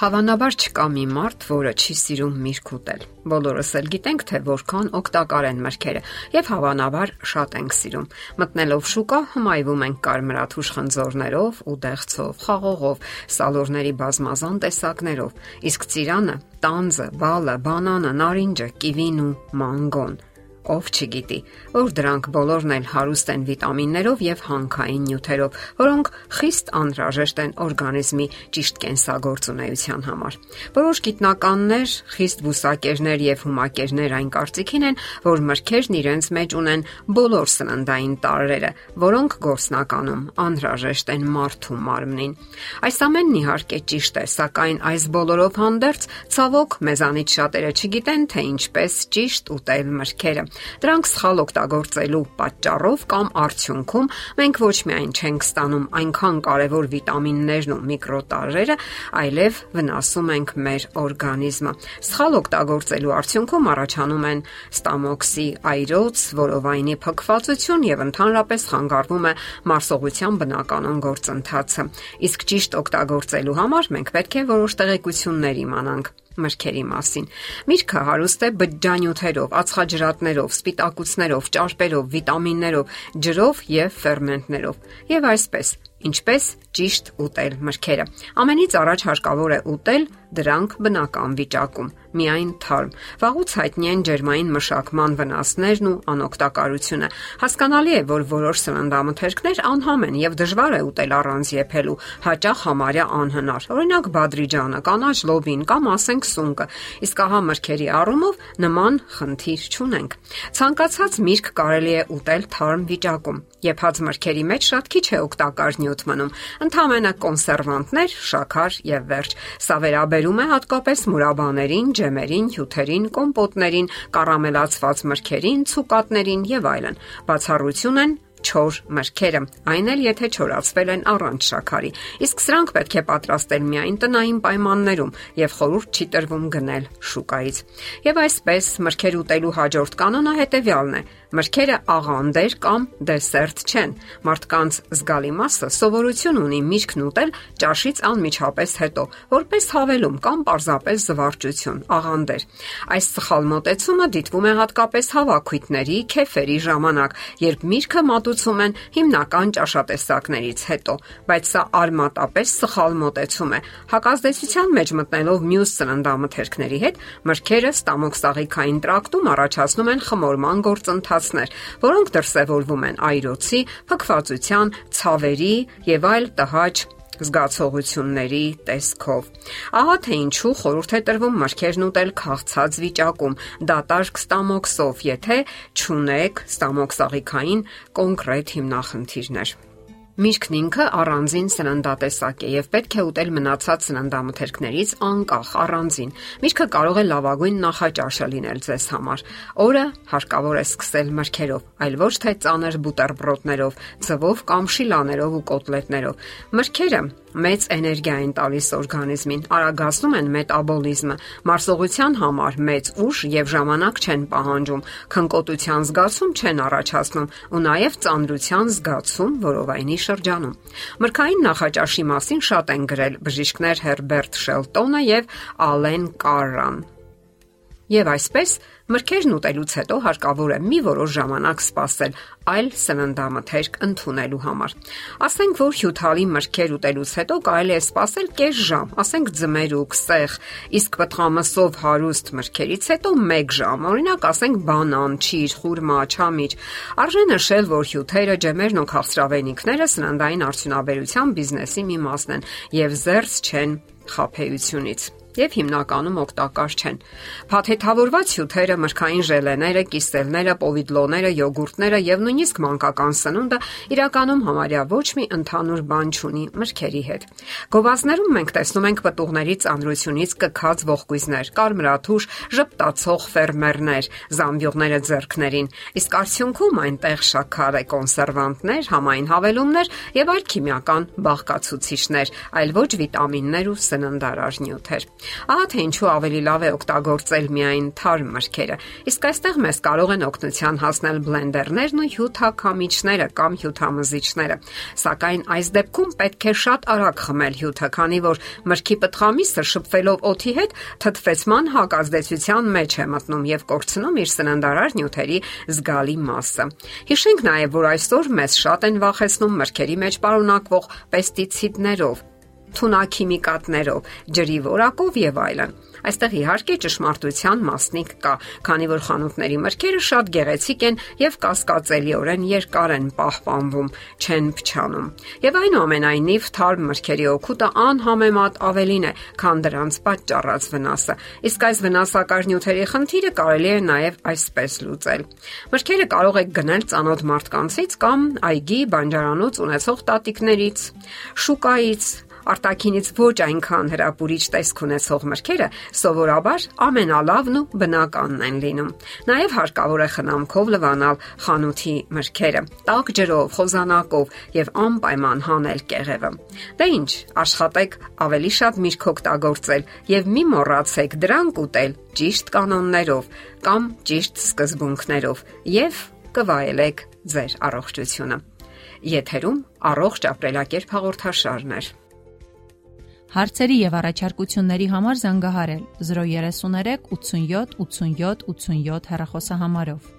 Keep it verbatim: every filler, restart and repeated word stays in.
Հավանաբար չկա մի մարդ, որը չի սիրում միրգ ուտել։ Բոլորս էլ գիտենք, թե որքան օգտակար են մրգերը, եւ հավանաբար շատ ենք սիրում։ Մտնելով շուկա, հմայվում ենք կարմրաթուշ խնձորներով, ուդեղցով, խաղողով, սալորների բազմազան տեսակներով, իսկ ծիրանը, տանձը, բալը, բանանը, նարինջը, կիվին ու մանգոն։ Ով չգիտի, որ դրանք բոլորն էլ հարուստ են վիտամիններով եւ հանքային նյութերով, որոնք խիստ անհրաժեշտ են օրգանիզմի ճիշտ կենսագործունեության համար։ Որոշ գիտնականներ, խիստ բուսակերներ եւ հումակերներ այն կարծիքին են, որ մրգերն իրենց մեջ ունեն բոլոր սննդային տարրերը, որոնք գործնականում անհրաժեշտ են մարդու մարմնին։ Այս ամենն իհարկե ճիշտ է, սակայն այս բոլորով հանդերձ ցավոք մեզանից շատերը չգիտեն, թե ինչպես ճիշտ ուտել մրգերը։ Դրանք սխալ օգտագործելու պատճառով կամ արդյունքում մենք ոչ միայն չենք ստանում այնքան կարևոր վիտամիններն ու միկրոտարրերը, այլև վնասում ենք մեր օրգանիզմը։ Սխալ օգտագործելու արդյունքում առաջանում են ստամոքսի այրոց, որովայնի փքվածություն եւ ընդհանրապես խանգարվում է մարսողության բնականon գործընթացը։ Իսկ ճիշտ օգտագործելու համար մենք պետք է որոշ տեղեկություններ իմանանք մրգերի մասին։ Միրգը հարուստ է բջջանյութերով, ածխաջրատներով, սպիտակուցներով, ճարպերով, վիտամիններով, ջրով եւ ֆերմենտներով։ Եվ այսպես, ինչպես ճիշտ ուտել մրգերը։ Ամենից առաջ հարկավոր է ուտել դրանք բնական վիճակում, միայն թարմ։ Վաղուց հայտնի են ջերմային մշակման վնասներն ու անօգտակարությունը։ Հասկանալի է, որ որոշ սննդամթերքներ անհամ են եւ դժվար է ուտել առանց եփելու, հաճախ համարյա անհնար։ Օրինակ բադրիջանը, կանաչ լոբին կամ ասենք սունկը։ Իսկ ահա մրգերի առումով նման խնդիր չունենք։ Ցանկացած միրգ կարելի է ուտել թարմ վիճակում։ Եփած մրգերի մեջ շատ քիչ է օգտակար նյութ մնում, ընդհանրապես կոնսերվանտներ, շաքար եւ վերջ։ Սա վերաբերում է հատկապես մուրաբաներին, ջեմերին, հյութերին, կոմպոտներին, կարամելացված մրգերին, ցուկատներին եւ այլն։ Բացառություն են չոր մրգերը, այն էլ եթե չորացվել են առանց շաքարի։ Իսկ սրանք պետք է պատրաստել միայն տնային պայմաններում եւ խորհուրդ չի տրվում գնել շուկայից։ Եվ այսպես մրգեր ուտելու հաջորդ կանոնը հետեւյալն է. մրգերը աղանդեր կամ դեսերտ չեն։ Մարդկանց զգալի մասը սովորություն ունի միրգն ուտել ճաշից անմիջապես հետո, որպես հավելում կամ պարզապես զվարճություն, աղանդեր։ Այս սխալ մոտեցումը դիտվում է հատկապես հավաքույթների, քեֆերի ժամանակ, երբ միրգը մատուցում են հիմնական ճաշատեսակներից հետո, բայց սա արմատապես սխալ մոտեցում է։ Հակազդեցության մեջ մտնելով մյուս սննդամթերքների հետ, մրգերը ստամոքսաղիքային տրակտում առաջացնում են խմորման գործընթացներ, որոնք դրսևորվում են այրոցի, փքվածության, ցավերի եւ այլ տհաճ զգացողությունների տեսքով։ Ահա թե ինչու խորհուրդ է տրվում մրգերն ուտել քաղցած վիճակում, դատարկ ստամոքսով, եթե չունեք ստամոքսաղիքային կոնկրետ հիմնախնդիրներ։ Միրգն ինքը առանձին սննդատեսակ է եւ պետք է ուտել մնացած սննդամթերքներից անկախ առանձին։ Միրգը կարող է լավագույն նախաճաշը լինել ձեզ համար։ Օրը հարկավոր է սկսել մրգերով, այլ ոչ թե ծանր բուտերբրոդներով, ձվով կամ շիլաներով ու կոտլետներով։ Մրգերը մեծ էներգիա են տալիս օրգանիզմին, արագացնում են մետաբոլիզմը, մարսողության համար մեծ ուժ եւ ժամանակ չեն պահանջում, քնկոտության զգացում չեն առաջացնում ու նաեւ ծանրության զգացում որովայնի շրջանում։ Մրգային նախաճաշի մասին շատ են գրել բժիշկներ Հերբերտ Շելտոնը եւ Ալեն Կարրան։ Եվ այսպես մրգերն ուտելուց հետո հարկավոր է մի որոշ ժամանակ սպասել այլ սննդամթերք ընդունելու համար։ Ասենք, որ հյութալի մրգեր ուտելուց հետո կարելի է սպասել կես ժամ, ասենք ձմերուկ, սեղ, իսկ պտղամսով հարուստ մրգերից հետո մեկ ժամ, օրինակ ասենք բանան, չիր, խուրմա, չամիչ։ Արժե նշել, որ հյութերը, ջեմերն ու քաղցրավենիքները սննդային արդյունաբերության բիզնեսի մի մասն են եւ զերծ չեն խաբեությունից եւ հիմնականում օգտակար չեն։ Փաթեթավորված հյութերը, մրգային ժելեները, կիսելները, պովիդլոները, յոգուրտները եւ նույնիսկ մանկական սնունդը իրականում համարյա ոչ մի ընդհանուր բան չունի մրգերի հետ։ Գովազդներում մենք տեսնում ենք պտուղների ծանրությունից կքած ողկույզներ, կարմրաթուշ, ժպտացող ֆերմերներ, զամբյուղները ձեռքներին, իսկ արդյունքում այնտեղ շաքար է, կոնսերվանտներ, համային հավելումներ եւ այլ քիմիական բաղկացուցիչներ, այլ ոչ վիտամիններ ու սննդարար նյութեր։ Ահա թե ինչու ավելի լավ է օգտագործել միայն թարմ մրգերը։ Իսկ այստեղ մեզ կարող են օգնության հասնել բլենդերներն ու հյութաքամիչները կամ հյութամզիչները։ Սակայն այս դեպքում պետք է շատ արագ խմել հյութը, քանի որ մրգի պտղամիսը շփվելով օդի հետ թթվեցման հակազդեցության մեջ է մտնում եւ կորցնում իր սննդարար նյութերի զգալի մասը։ Հիշենք նաեւ, որ այսօր մեզ շատ են վախեցնում մրգերի մեջ պարունակվող պեստիցիդներով, թունաքիմիկատներով, ջրի որակով եւ այլն։ Այստեղ իհարկե ճշմարտության մասնիկ կա, քանի որ խանութների մրգերը շատ գեղեցիկ են եւ կասկածելիորեն երկար են պահպանվում, չեն փչանում։ Եվ այնուամենայնիվ թարմ մրգերի օգուտը անհամեմատ ավելին է, քան դրանց պատճառած վնասը։ Իսկ այս վնասակար նյութերի խնդիրը կարելի է նաեւ այսպես լուծել։ Մրգերը կարող եք գնել ծանոթ մարդկանցից կամ այգի բանջարանոց ունեցող տատիկներից, շուկայից։ Արտաքինից ոչ այնքան հրապուրիչ տեսք ունեցող մրգերը սովորաբար ամենալավն ու բնականն են լինում։ Նաև հարկավոր է խնամքով լվանալ խանութի մրգերը, տաք ջրով, խոզանակով եւ անպայման հանել կեղևը։ Դե ինչ, աշխատեք ավելի շատ միրգ օգտագործել եւ մի մոռացեք դրանք ուտել ճիշտ կանոններով կամ ճիշտ սկզբունքներով եւ կվայելեք ձեր առողջությունը։ Եթերում առողջ ապրելակերպ հաղորդաշարն է։ Հարցերի եւ առաջարկությունների համար զանգահարել զրո երեք երեք ութսունյոթ ութսունյոթ ութսունյոթ հեռախոսահամարով։